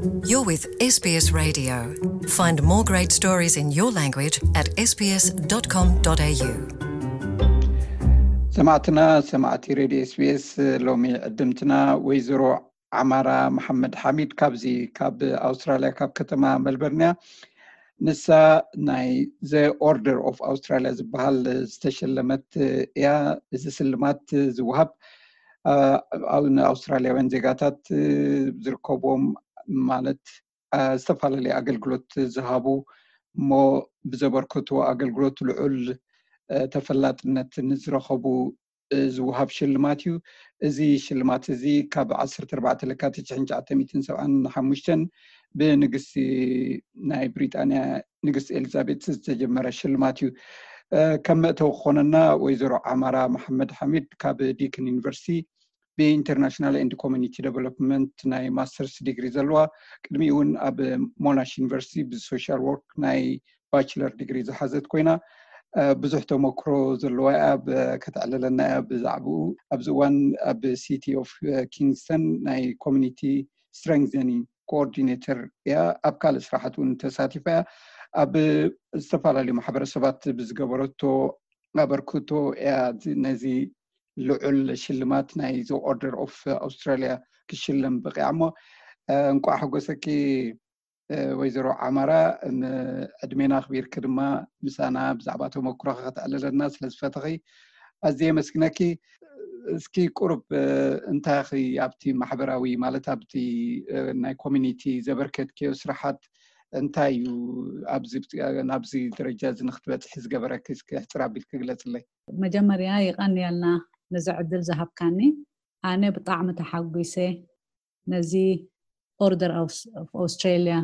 You're with S B S Radio. Find more great stories in your language at S B S dot com dot A U. ሰማዕትና፣ ሰማዕቲ ሬድዮ ኤስቢኤስ፣ ሎሚ ዕድምትና ወይዘሮ ዓማራ መሓመድ ሓሚድ ካብዚ ካብ ኣውስትራልያ ካብ ከተማ መልበርን እያ። ንሳ ናይ The Order of Australia ዝበሃል ዝተሸለመት እያ። እዚ ስልማት ዝወሃብ ንኣውስትራልያውያን ዜጋታት ዝርከብዎም ማለት ዝተፈላለየ ኣገልግሎት ዝሃቡ እሞ ብዘበርከቱ ኣገልግሎት ልዑል ተፈላጥነት ንዝረኸቡ ዝወሃብ ሽልማት እዩ። እዚ ሽልማት እዚ ካብ ዓሰርተ ኣርባዕተ ለካቲት ሽሕን ትሽዓተ ሚእትን ሰብዓን ሓሙሽተን ብንግስቲ ናይ ብሪጣንያ ንግስቲ ኤሊዛቤት ዝተጀመረ ሽልማት እዩ። ከም መእተዊ ክኾነና ወይዘሮ ዓማራ መሓመድ ሓሚድ ካብ ዲክን ዩኒቨርሲቲ ብኢንተርናሽናል ኤንድ ኮሚኒቲ ዴቨሎፕመንት ናይ ማስተርስ ዲግሪ ዘለዋ፣ ቅድሚኡ እውን ኣብ ሞናሽ ዩኒቨርሲቲ ብሶሻል ወርክ ናይ ባችለር ዲግሪ ዝሓዘት ኮይና ብዙሕ ተመክሮ ዘለዋ እያ። ከተዕልለና እያ ብዛዕባኡ። ኣብዚ እዋን ኣብ ሲቲ ኦፍ ኪንግስተን ናይ ኮሚኒቲ ስትሬንግዘኒንግ ኮኦርዲኔተር እያ። ኣብ ካልእ ስራሓት እውን ተሳቲፋ እያ። ኣብ ዝተፈላለዩ ማሕበረሰባት ብዝገበረቶ ኣበርክቶ እያ ነዚ ልዑል ሽልማት ናይ The Order of Australia ክሽለም በቂዓ እሞ እንቋዕ ሓጎሰኪ ወይዘሮ ዓማራ። ዕድሜና ኣኽቢርኪ ድማ ምሳና ብዛዕባ ተመክሮኺ ከተዕልለና ስለ ዝፈተኺ ኣዝየ የመስግነኪ። እስኪ ቁሩብ እንታይ ኢኺ ኣብቲ ማሕበራዊ ማለት ኣብቲ ናይ ኮሚኒቲ ዘበርከትክዮ ስራሓት እንታይ እዩ ኣብዚ ናብዚ ደረጃ እዚ ንክትበፅሒ ዝገበረኪ እስኪ ሕፅር ኣቢልኪ ግለፅለይ። መጀመርያ ይቐንየልና ነዚ ዕድል ዝሃብካኒ። ኣነ ብጣዕሚ ተሓጒሰ ነዚ ኦርደር ኦፍ ኣውስትራሊያ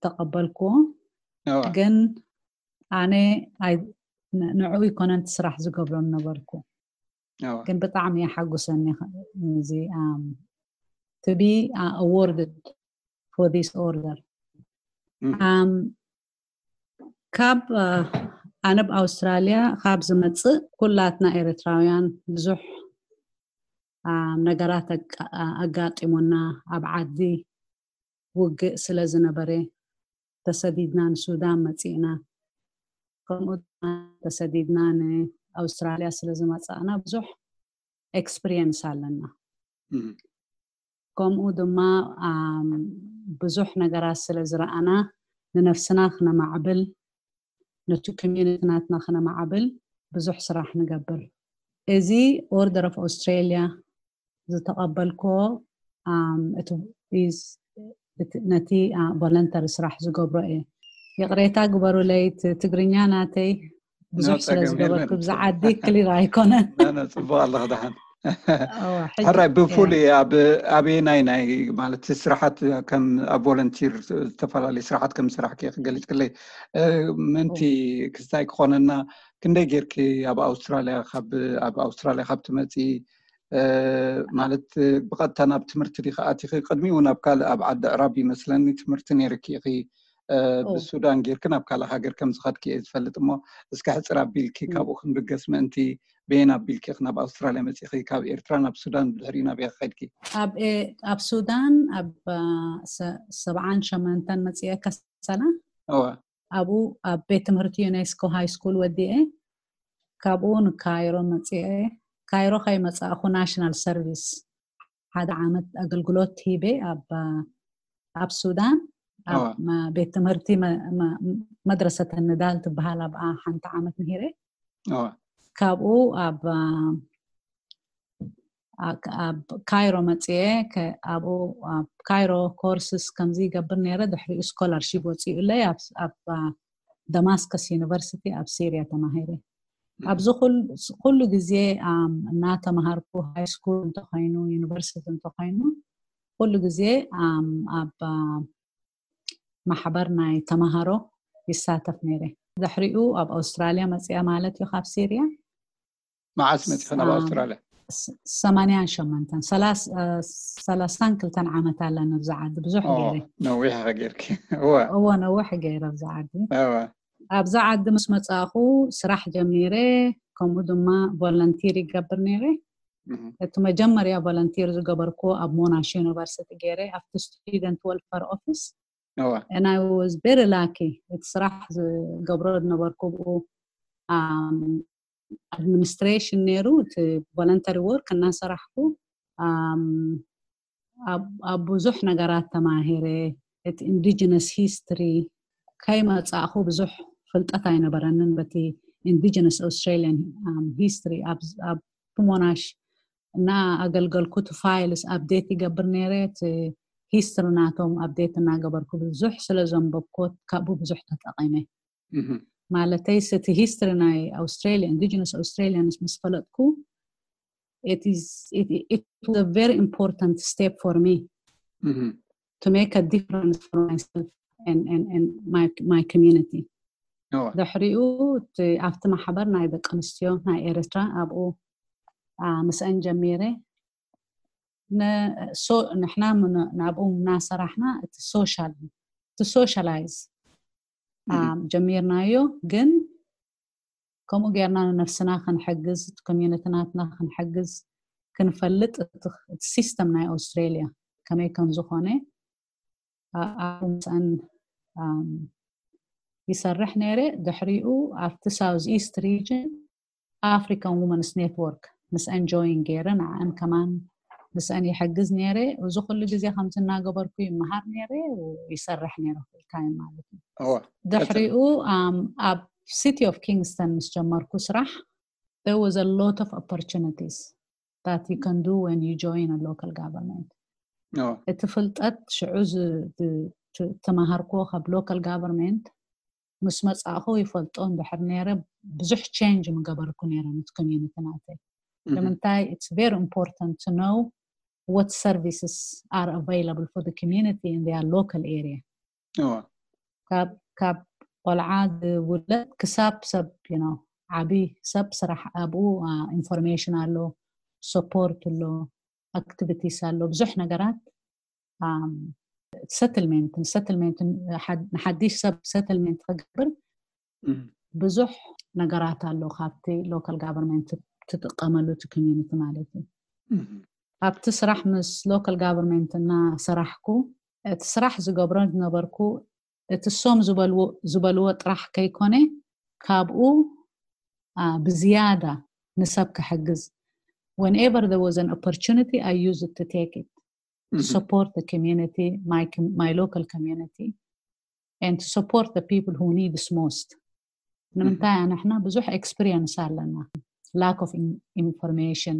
ተቐበልኩዎ። ግን ኣነ ንዕኡ ይኮነን ስራሕ ዝገብሮ ነበርኩ። ግን ብጣዕሚ የሓጉሰኒ እዚ to be awarded for this order። ካብ ኣነ ኣብ ኣውስትራልያ ካብ ዝመፅእ ኩላትና ኤርትራውያን ብዙሕ ነገራት ኣጋጢሙና፣ ኣብ ዓዲ ውግእ ስለ ዝነበረ ተሰዲድና ንሱዳን መፂእና። ከምኡ ድማ ተሰዲድና ንኣውስትራልያ ስለ ዝመፃእና ብዙሕ ኤክስፒሪየንስ ኣለና። ከምኡ ድማ ብዙሕ ነገራት ስለ ዝረኣና ንነፍስና ክነማዕብል ነቲ ኮሚዩኒቲ ናትና ክነማዕብል ብዙሕ ስራሕ ንገብር። እዚ ኦርደር ኦፍ ኣውስትራልያ ዝተቐበልኮ ነቲ ቮለንተሪ ስራሕ ዝገብሮ እየ። ይቕሬታ ግበሩለይ፣ ትግርኛ ናተይ ብዙሕ ስለ ዝገበርኩ ብዛ ዓዲ ክሊር ኣይኮነን። ፅቡቅ ኣለክ ደሓን። ሕራይ ብፍሉይ ኣበየናይ ናይ ማለት ስራሓት ከም ኣብ ቮለንቲር ዝተፈላለዩ ስራሓት ከም ዝሰራሕኪ ክገልፅክለይ ምእንቲ ክስታይ ክኾነና ክንደይ ጌርኪ ኣብ ኣውስትራልያ ኣብ ኣውስትራልያ ካብ ትመፂ ማለት ብቐጥታ ናብ ትምህርቲ ዲኺ ኣቲኺ? ቅድሚኡ ናብ ካልእ ኣብ ዓዲ ዕራብ ይመስለኒ ትምህርቲ ነይርኪ ኢኺ። ብሱዳን ጌርኪ ናብ ካልእ ሃገር ከም ዝኸድኪ እየ ዝፈልጥ እሞ እስኪ ሕፅር ኣቢልኪ ካብኡ ክንብገስ ምእንቲ በየን ኣቢልኪ ኢኺ ናብ ኣውስትራልያ መፂእኺ ካብ ኤርትራ ናብ ሱዳን ብድሕሪኡ ናበይ ከድኪ? ኣብ ሱዳን ኣብ ሰብዓን ሸመንተን መፂአ ከሰላ። ኣብኡ ኣብ ቤት ትምህርቲ ዩኔስኮ ሃይ ስኩል ወዲኤ ካብኡ ንካይሮ መፂአ። ካይሮ ከይመፃእኹ ናሽናል ሰርቪስ ሓደ ዓመት ኣገልግሎት ሂበ ኣብ ሱዳን ኣብ ቤት ትምህርቲ መድረሰተ ንዳል ትበሃል ኣብኣ ሓንቲ ዓመት ምሂረ። ካብኡ ኣብ ኣብ ካይሮ መፅየ። ኣብኡ ኣብ ካይሮ ኮርስስ ከምዚ ይገብር ነይረ። ድሕሪኡ ስኮላርሺፕ ወፂኡለይ ኣብ ደማስከስ ዩኒቨርሲቲ ኣብ ሲርያ ተማሂረ። ኣብዚ ኩሉ ግዜ እናተምሃርኩ ሃይ ስኩል እንተኮይኑ ዩኒቨርሲቲ እንተኮይኑ ኩሉ ግዜ ኣብ ማሕበር ናይ ተምሃሮ ይሳተፍ ነይረ። ድሕሪኡ ኣብ ኣውስትራልያ መፅያ ማለት እዩ ካብ ሲርያ። መዓስ መፂኺ ናብ ኣውስትራልያ? ሰማንያን ሸመንተን ሰላሳን ክልተን ዓመት ኣለኒ ኣብዚ ዓዲ ብዙሕ ገይረ። ነዊሕ ኢኺ ጌርኪ። እወ ነዊሕ ገይረ ኣብዚ ዓዲ። ኣብዚ ዓዲ ምስ መፃእኹ ስራሕ ጀሚረ። ከምኡ ድማ ቮለንቲር ይገብር ነይረ። እቲ መጀመርያ volunteer ዝገበርኩ ኣብ ሞናሽ ዩኒቨርሲቲ ገይረ ኣብቲ student welfare office and I was very lucky። እቲ ስራሕ ዝገብሮ ዝነበርኩ ብኡ administration ነይሩ። እቲ voluntary work እናሰራሕኩ ኣብ ብዙሕ ነገራት ተማሂረ። እቲ indigenous history ከይመጻእኹ ብዙሕ ፍልጠት ኣይነበረንን በቲ indigenous Australian history። ኣብ ሞናሽ እና ኣገልገልኩ እቲ files update ይገብር ነይረ። እቲ history ናቶም update እናገበርኩ ብዙሕ ስለ ዘንበብኩ ካብኡ ብዙሕ ተጠቒመ። ማለተይ እቲ history ናይ Australia, indigenous Australians ምስ ፈለጥኩ it is it, it was a very important step for me to make a difference for myself and, and, and my, my community. ድሕሪኡ ኣብቲ ማሕበር ናይ ደቂ ኣንስትዮ ናይ ኤርትራ ኣብኡ ምስአን ጀሚረ። ንሕና ናብኡ እናሰራሕና እቲ social እቲ socialize ጀሚርናዮ። ግን ከምኡ ጌርና ንነፍስና ክንሕግዝ፣ እቲ community ናትና ክንሕግዝ፣ ክንፈልጥ እቲ system ናይ ኣውስትራልያ ከመይ ከም ዝኾነ ኣብኡ ምስአን ይሰርሕ ነይረ። ድሕሪኡ ኣብቲ South East region African Women's Network ምስአን join ገይረ ንዓን ከማን ምስአን ይሕግዝ ነይረ። እዚ ኩሉ ግዜ ከምዚ እናገበርኩ ይመሃር ነይረ፣ ይሰርሕ ነይረ full time ማለት እዩ። ድሕሪኡ ኣብ City of Kingston ምስ ጀመርኩ ስራሕ there was a lot of opportunities that you can do when you join a local government። እቲ ፍልጠት ሽዑ ተማሃርኩዎ ካብ local government ምስ መጻእኹ ይፈልጦ እንድሕር ነይረ ብዙሕ change ምገበርኩ ነይረ ነቲ community ናተይ። ንምንታይ it's very important to know what services are available for the community in their local area። ካብ ቆልዓ ዝውለድ ክሳብ ሰብ ዓቢ ሰብ ስራሕ ኣብኡ information ኣሎ፣ support ኣሎ፣ activities ኣሎ፣ ብዙሕ ነገራት settlement settlement ንሓድሽ ሰብ settlement ክገብር ብዙሕ ነገራት ኣሎ ካብቲ local government ትጥቀመሉ እቲ community ማለት እዩ። ኣብቲ ስራሕ ምስ local government እናሰራሕኩ እቲ ስራሕ ዝገብሮ ዝነበርኩ እቲ እሶም ዝበልዎ ጥራሕ ከይኮነ ካብኡ ብዝያዳ ንሰብ ክሕግዝ whenever there was an opportunity I used to take it to support the community, my, my local community and to support the people who need this most. ንምንታይ ንሕና ብዙሕ experience ኣለና lack of information,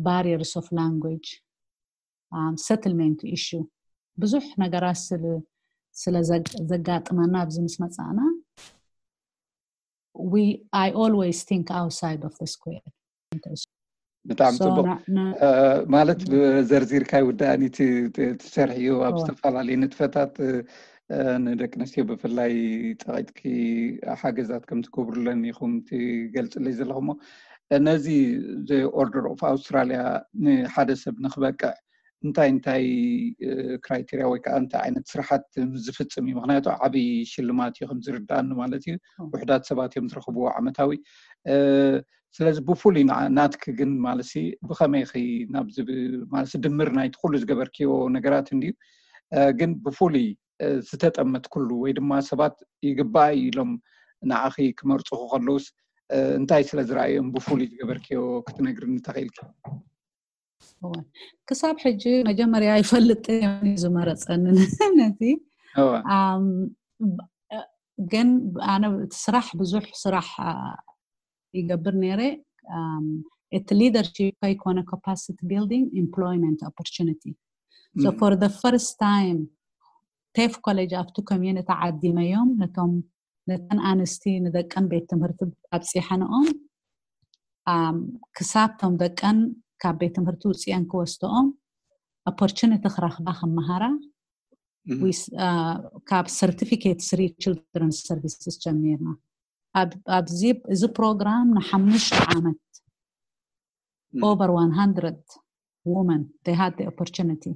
barriers of language, settlement issue ብዙሕ ነገራት ስለ ዘጋጥመና ኣብዚ ምስ መጻእና we I always think outside of the square። ብጣዕሚ ጽቡቕ። ማለት ዘርዚርካ ይውዳእኒ ትሰርሕዮ ኣብ ዝተፈላለዩ ንጥፈታት ንደቂ ኣንስትዮ ብፍላይ ጸቒጥኪ ሓገዛት ከም ትገብሩለን ኢኹም ትገልጽለይ ዘለኹሞ ነዚ order of Australia ንሓደ ሰብ ንክበቅዕ እንታይ እንታይ criteria ወይ ከዓ እንታይ ዓይነት ስራሓት ዝፍጽም እዩ? ምክንያቱ ዓብይ ሽልማት እዩ ከም ዝርዳእኒ ማለት እዩ። ውሕዳት ሰባት እዮም ዝረኽብዎ ዓመታዊ። ስለዚ ብፍሉይ ናትኪ ግን ማለት ብኸመይ ኺ ናብዚ ማለት ድምር ናይቲ ኩሉ ዝገበርክዮ ነገራት እንድዩ፣ ግን ብፍሉይ ዝተጠመትክሉ ወይ ድማ ሰባት ይግባእ ኢሎም ንዓኺ ክመርፁኺ ከለውስ እንታይ ስለ ዝረኣዮም ብፍሉይ ዝገበርክዮ ክትነግርኒ ተኽኢልኪ? ክሳብ ሕጂ መጀመርያ ይፈልጥ ዝመረፀኒ ነቲ ግን ኣነ ስራሕ ብዙሕ ስራሕ ይገብር ነይረ። እቲ leadership ከይኮነ capacity building employment opportunity so for the first time TAFE college ኣብቲ community ዓዲመዮም ነቶም ነተን ኣንስቲ ንደቀን ቤት ትምህርቲ ኣብፂሐንኦም ክሳብ ቶም ደቀን ካብ ቤት ትምህርቲ ውፅአን ክወስድኦም opportunity ክረኽባ ክመሃራ ካብ certificate three children services ጀሚርና። ኣብዚ እዚ ፕሮግራም ንሓሙሽተ ዓመት over one hundred women they had the opportunity።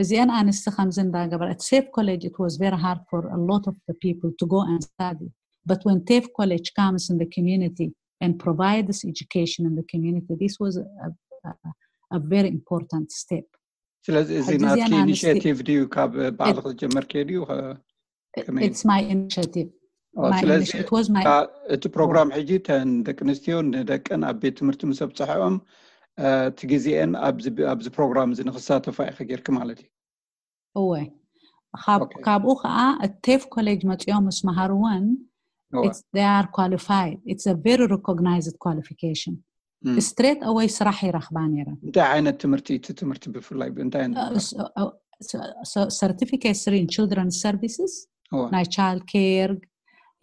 እዚአን ኣንስቲ ከምዚ እንዳገበረ at TAFE college it was very hard for a lot of the people to go and study but when TAFE college comes in the community and provide this education in the community. This was a, a, a very important step. ስለዚ እዚ ሕጂ ናትኪ እዚኣን ኣንስቲ- ኢኒሽቲቭ ድዩ? ካብ ባዕልኺ ዝጀመርክዮ ድዩ? ከመይ? It's my initiative. ኦ፣ My ስለዚ initi- it was my ካ- እቲ ፕሮግራም ሕጂ ተን ደቂ ኣንስትዮ ንደቀን ኣብ ቤት ትምህርቲ ምስ ኣብፅሐኦም፣ እ፣ እቲ ግዜአን ኣብዚ ኣብዚ ፕሮግራም እዚ ንክሳተፋ ኢኺ ጌርኪ ማለት እዩ። እወ ካብ ኦኬ። ካብኡ ከዓ እቲ ቴፍ ኮሌጅ መፂኦም ምስ መሃርወን እወ። it's they are qualified. It's a very recognized qualification. እም። Straight away ስራሕ ይረኽባ ነይረን። እንታይ ዓይነት ትምህርቲ? እቲ ትምህርቲ ብፍላይ እንታይ ዓይነት? Certificate three in children's services, እወ። ናይ child care,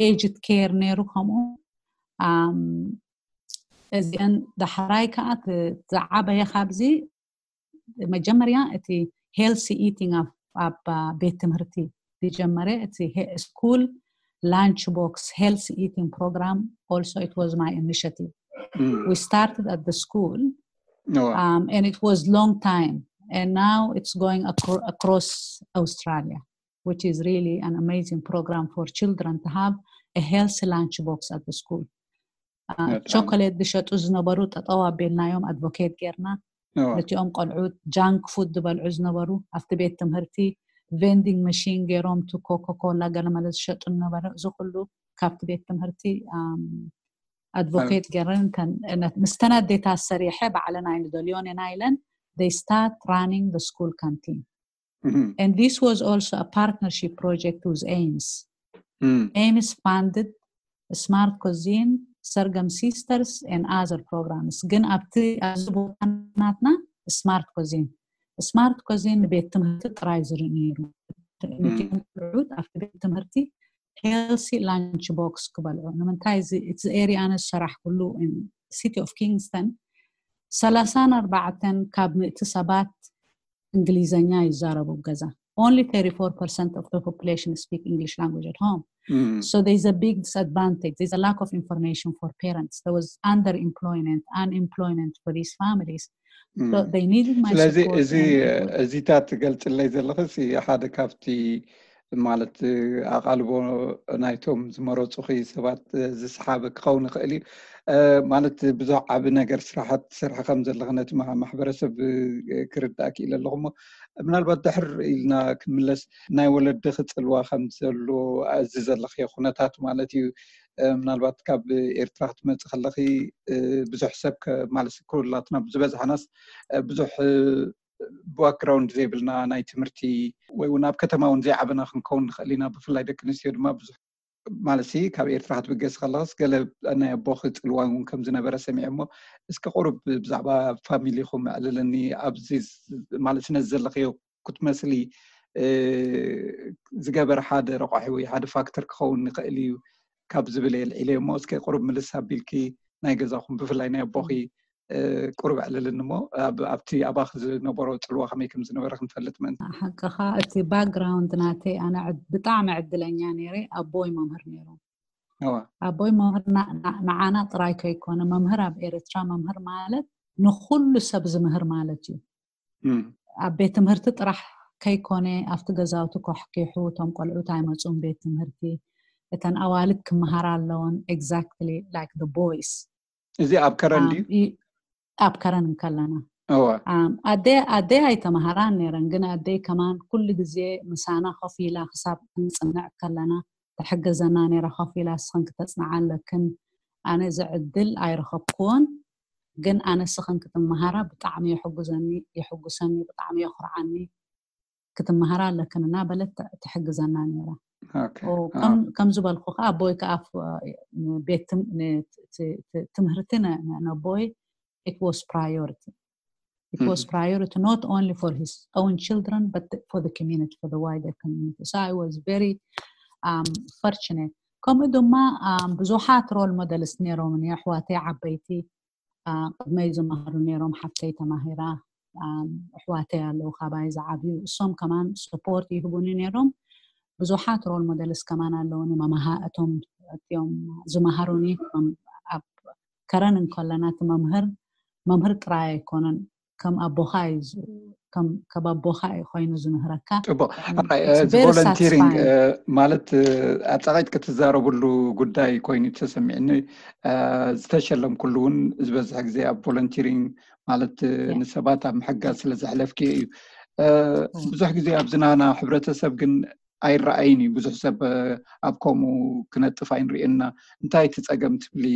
aged care ነይሩ ከምኡ። ኣም፣ እዚአን ዳሕራይ ከዓ ት- ዝዓበየ ካብዚ መጀመርያ እቲ healthy eating ኣብ ኣብ ቤት ትምህርቲ ዝጀመረ እቲ school lunch box healthy eating program, also it was my initiative. እም። We started at the school, እወ። um, and it was long time, and now it's going acro- across Australia, which is really an amazing program for children to have a healthy lunch box at the school. በጣም። ቸኮሌት ዝሸጡ ዝነበሩ ጠጠው ኣቢልናዮም፣ ኣድቮኬት ጌርና። እወ። ነቲኦም ቆልዑት junk food ዝበልዑ ዝነበሩ ኣብቲ ቤት ትምህርቲ vending machine ገይሮም፣ ቱ ኮካኮላ ገለመለ ዝሸጡ ዝነበረ፣ እዚ ኩሉ ካብቲ ቤት ትምህርቲ ኣድቮኬት ገይረን። እተን- ነት- ምስተን ኣዴታት ሰሪሐ ባዕለን ኣይንደልዮን ኢና ኢለን፣ they start running the school canteen. እም። And this was also a partnership project with AIMS. እም። AIMS funded Smart Cuisine, Sorghum Sisters and other programs. ግን ኣብቲ ኣብዚ ቦታ ናትና Smart Cuisine Smart Cuisine ንቤት ትምህርቲ ጥራይ ዝርኢ ነይሩ። ነቲኦም ቆልዑት ኣብቲ ቤት ትምህርቲ healthy lunch box ክበልዑ። ንምንታይ እዚ እቲ area ኣነ ዝሰራሕኩሉ city of Kingston ሰላሳን ኣርባዕተን ካብ ምእቲ ሰባት እንግሊዘኛ ይዛረቡ ኣብ ገዛ። Only thirty-four percent of the population speak English language at home. እም። So there's a big disadvantage. There's a lack of information for parents. There was underemployment, unemployment for these families. So እም። they needed my ስለዚ support. እዚ And it was- እዚታት ትገልፅለይ ዘለኽስ ሓደ ካብቲ ማለት ኣቓልቦ ናይቶም ዝመረፁኺ ሰባት ዝሰሓበ ክኸውን ይኽእል እዩ። እ፣ ማለት ብዙሕ ዓቢ ነገር ስራሓት ትሰርሒ ከም ዘለኺ ነቲ ማ- ማሕበረሰብ እ፣ ክርዳእ ክኢለ ኣለኹ። እሞ ምናልባት ድሕር ኢልና ክንምለስ ናይ ወለድኺ ፅልዋ ከም ዘሎ እዚ ዘለኽዮ ኩነታት ማለት እዩ። እ፣ ምናልባት ካብ ኤርትራ ክትመፂ ከለኺ እ፣ ብዙሕ ሰብ ከ- ማለት ኩላትና ዝበዝሓናስ እ፣ ብዙሕ እ፣ ባክግራውንድ ዘይብልና ናይ ትምህርቲ ወይ እውን ኣብ ከተማ እውን ዘይዓበና ክንከውን ንኽእል ኢና። ብፍላይ ደቂ ኣንስትዮ ድማ ብዙሕ ማለት ሲ ካብ ኤርትራ ክትብገስ ከለኽስ ገለ ናይ ኣቦኺ ፅልዋ እውን ከም ዝነበረ ሰሚዐ። እሞ እስኪ ቁሩብ ብዛዕባ ፋሚሊኹም ኣዕልለኒ። ኣብዚ ዝ- ማለት ነዚ ዘለኽዮ ክትመስሊ እ፣ ዝገበረ ሓደ ረቋሒ ወይ ሓደ ፋክተር ክኸውን ይኽእል እዩ ካብ ዝብል የልዒለ እሞ እስኪ ቁሩብ ምልስ ኣቢልኪ ናይ ገዛኹም ብፍላይ ናይ ኣቦኺ እ፣ ቁሩብ ኣዕልልኒ እሞ ኣብ- ኣብቲ ኣባኺ ዝነበሮ ፅልዋ ከመይ ከም ዝነበረ ክንፈልጥ ምእንቲ። ሓቅኻ እቲ ባክግራውንድ ናተይ ኣነ ዕድ- ብጣዕሚ ዕድለኛ ነይረ። ኣቦይ መምህር ነይሩ። እወ። ኣቦይ መምህር ና- ና- ንዓና ጥራይ ከይኮነ፣ መምህር ኣብ ኤርትራ መምህር ማለት ንኹሉ ሰብ ዝምህር ማለት እዩ። እም። ኣብ ቤት ትምህርቲ ጥራሕ ከይኮነ ኣብቲ ገዛውቲ ከሕኪሑ እቶም ቆልዑት ኣይመፁን ቤት ትምህርቲ፣ እተን ኣዋልድ ክመሃራ ኣለውን። Exactly like the boys. እዚ ኣብ ከረን ድዩ? ኣብ ከረን እንከለና እወ። ኣም፣ ኣደይ ኣደይ ኣይተምሃራን ነይረን፣ ግን ኣደይ ከማን ኩሉ ግዜ ምሳና ኮፍ ኢላ ክሳብ ክንጽንዕ ከለና ትሕግዘና ነይራ። ኮፍ ኢላ እስኽን ክተጽንዓ ኣለክን፣ ኣነ እዚ ዕድል ኣይረኸብክዎን፣ ግን ኣነ እስኽን ክትመሃራ ብጣዕሚ የሕጉዘኒ የሕጉሰኒ፣ ብጣዕሚ የኹርዓኒ፣ ክትመሃራ ኣለክን እናበለት ት- ትሕግዘና ነይራ። ኦኬ። ኦ፣ ኣዎ። ከም ከም ዝበልኩ ከዓ ኣቦይ ከዓ ፍ- ቤት ትም- ን- ት- ት- ትምህርቲ ነ- ነ- ነቦይ it was priority. It was Mhm. priority not only for his own children but for the community, for the wider community. So I was very um, fortunate. ከምኡ ድማ um, ብዙሓት ሮል ሞደልስ ነይሮምኒ። ኣሕዋተይ ዓበይቲ አ፣ ቅድመይ ዝመሃሩ ነይሮም። ሓፍተይ ተማሂራ፣ ኣም፣ ኣሕዋተይ ኣለዉ ካባይ ዝዓብዩ፣ እሶም ከማን ሰፖርት ይህቡኒ ነይሮም። ብዙሓት ሮል ሞደልስ ከማን ኣለዉኒ። መምሃ እቶም እቲኦም ዝመሃሩኒ መም- ኣብ ከረን እንከለና እቲ መምህር መምህር ጥራይ ኣይኮነን፣ ከም ኣቦኻ እዩ ዝ- ከም ካብ ኣቦኻ እዩ ኮይኑ ዝምህረካ። ጽቡቅ። And ኣራይ፣ it's እዚ very ቮለንቲሪንግ satisfying. ማለት፣ እ፣ ኣጻቒት ክትዛረብሉ ጉዳይ ኮይኑ ተሰሚዕኒ። እ፣ ዝተሸለምኩሉ እውን ዝበዝሕ ግዜ ኣብ ቮለንቲሪንግ ማለት፣ እ፣ Yeah. ንሰባት ኣብ ምሕጋዝ ስለ ዘሕለፍክዮ እዩ። እ፣ Mm. ብዙሕ ግዜ ኣብዚ ናና ሕብረተሰብ ግን ኣይረኣይን እዩ። ብዙሕ ሰብ፣ እ፣ ኣብ ከምኡ ክነጥፍ ኣይንርእየና። እንታይ እቲ ጸገም ትብሊ?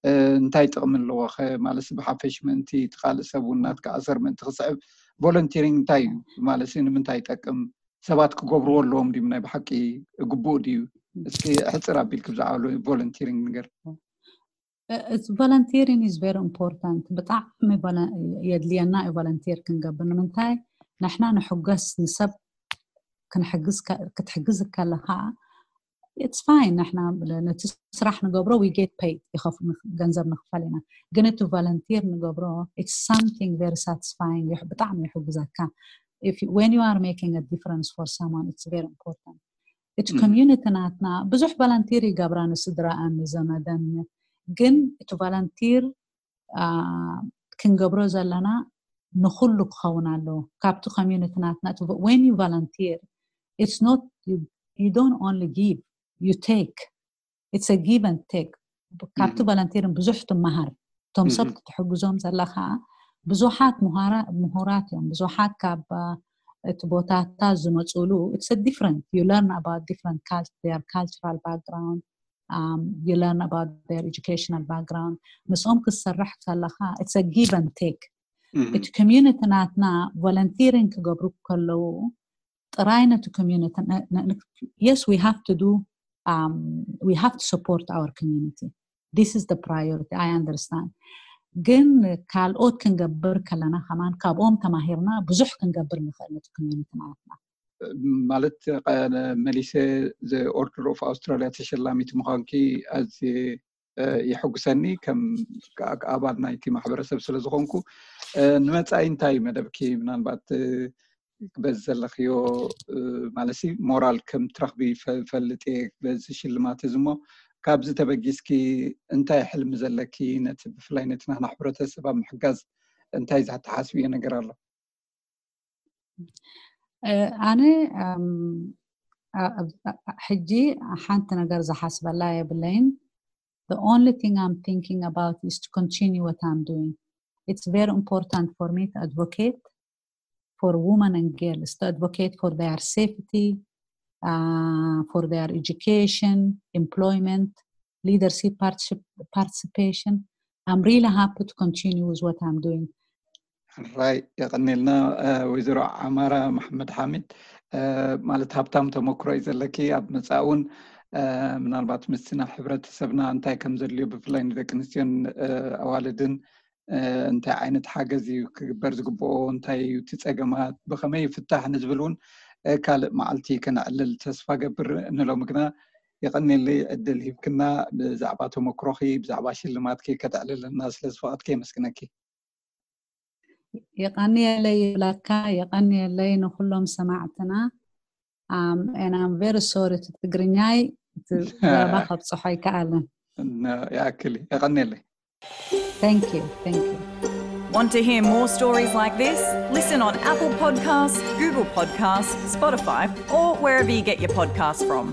እ፣ እንታይ ጥቕሚ ኣለዎ ኸ? ማለት ብሓፈሽ ምእንቲ እቲ ካልእ ሰብ እውን ናትካ ኣሰር ምእንቲ ክስዕብ ቮለንቲሪንግ እንታይ እዩ? ማለት ንምንታይ ይጠቅም? ሰባት ክገብርዎ ኣለዎም ድዩ? ናይ ብሓቂ ግቡእ ድዩ? እስኪ ሕጽር ኣቢልክ ብዛዕባ ቮለንቲሪንግ ንገር። It's volunteering is very important. ብጣዕሚ ቮለ- የድልየና እዩ ቮለንቲር ክንገብር። ንምንታይ ንሕና ንሕገስ ንሰብ ክንሕግዝ ከ- ክትሕግዝ ከለኻ it's fine። ንሕና ነቲ ስራሕ ንገብሮ we get paid ይኸፍ- ንኽ- ገንዘብ ንኽፈል ኢና። ግን እቲ ቮለንቲር ንገብሮ it's something very satisfying። ይሕ- ብጣዕሚ ይሕግዘካ። If you- when you are making a difference for someone, it's very important። እቲ Mhm. ኮሚዩኒቲ ናትና ብዙሕ ቮለንቲር ይገብራ ንስድራኣን ንዘመደን፣ ግን እቲ ቮለንቲር አ፣ ክንገብሮ ዘለና ንኹሉ ክኸውን ኣለዎ። ካብቲ ኮሚዩኒቲ ናትና እቲ vo- when you volunteer it's not you, you don't only give, you take. It's a give and take. ካብቲ Mhm. ቮለንቲርን ብዙሕ ትመሃር። እቶም ሰብ Mhm. ክትሕግዞም ዘለኻ ብዙሓት ምሁራ- ምሁራት እዮም። ብዙሓት ካብ አ፣ እቲ ቦታታት ዝመፅሉ it's a different, you learn about different cult- their cultural background, um, you learn about their educational background. ምስኦም ክትሰርሕ ከለኻ it's a give and take። Mhm. እቲ ኮሚዩኒቲ ናትና ቮለንቲሪንግ ክገብሩ ከለዉ ጥራይ ነቲ ኮሚዩኒቲ yes we have to do, um, we have to support our community. This is the priority, I understand. ግን ካልኦት ክንገብር ከለና ከማን ካብኦም ተማሂርና ብዙሕ ክንገብር ንኽእል ነቲ ኮሚዩኒቲ ናትና። ማለት፣ ቀ- መሊሰ ዘ ኦርደር ኦፍ ኣውስትራሊያ ተሸላሚት ምዃንኪ ኣዝየ፣ እ፣ የሐጉሰኒ ከም ከ- ኣባል ናይቲ ማሕበረሰብ ስለ ዝኾንኩ። እ፣ ንመጻኢ እንታይ እዩ መደብኪ? ምናልባት፣ እ፣ በዚ ዘለኽዮ፣ እ፣ ማለት ሲ ሞራል ከም ትረኽቢ ፈ- ፈልጥ እየ በዚ ሽልማት እዚ እሞ፣ ካብዚ ተበጊስኪ እንታይ ሕልሚ ዘለኪ? ነቲ ብፍላይ ነቲ ናህና ሕብረተሰብ ኣብ ምሕጋዝ እንታይ ዝትሓስብዮ ነገር ኣሎ? እ፣ ኣነ፣ እም፣ ኣ- ኣ- ኣ- ሕጂ ሓንቲ ነገር ዝሓስበላ የብለይን። The only thing I'm thinking about is to continue what I'm doing. It's very important for me to advocate for women and girls, to advocate for their safety, uh, for their education, employment, leadership particip- participation. I'm really happy to continue with what I'm doing. ራይ፣ የቐኔልና። እ፣ ወይዘሮ ዓማራ መሓመድ ሓሚድ፣ እ፣ ማለት ሃብታም ተመክሮ እዩ ዘለኪ። ኣብ መጻእ እውን፣ እ፣ ምናልባት ምስቲ ናብ ሕብረተሰብና እንታይ ከም ዘድልዮ ብፍላይ ንደቂ ኣንስትዮን፣ እ፣ ኣዋልድን፣ እ፣ እንታይ ዓይነት ሓገዝ እዩ ክግበር ዝግብኦ፣ እንታይ እዩ እቲ ጸገማት፣ ብኸመይ ይፍታሕ ንዝብል እውን፣ እ፣ ካልእ መዓልቲ ከነዕልል ተስፋ ገብር። ንሎሚ ግና የቐኔለይ ዕድል ሂብክና ብዛዕባ ተመክሮኺ ብዛዕባ ሽልማትኪ ከተዕልልና ስለ ዝፈቐድኪ የመስግነኪ። የቐንየለይ ይብለካ፣ የቐንየለይ ንኹሎም ሰማዕትና። Um, and I'm very sorry to ትግርኛይ እቲ ዘረባ ከብፅሖ ኣይከኣልን። እና ይኣክል እዩ። የቐንየለይ። Thank you, thank you. Want to hear more stories like this? Listen on Apple Podcasts, Google Podcasts, Spotify, or wherever you get your podcasts from.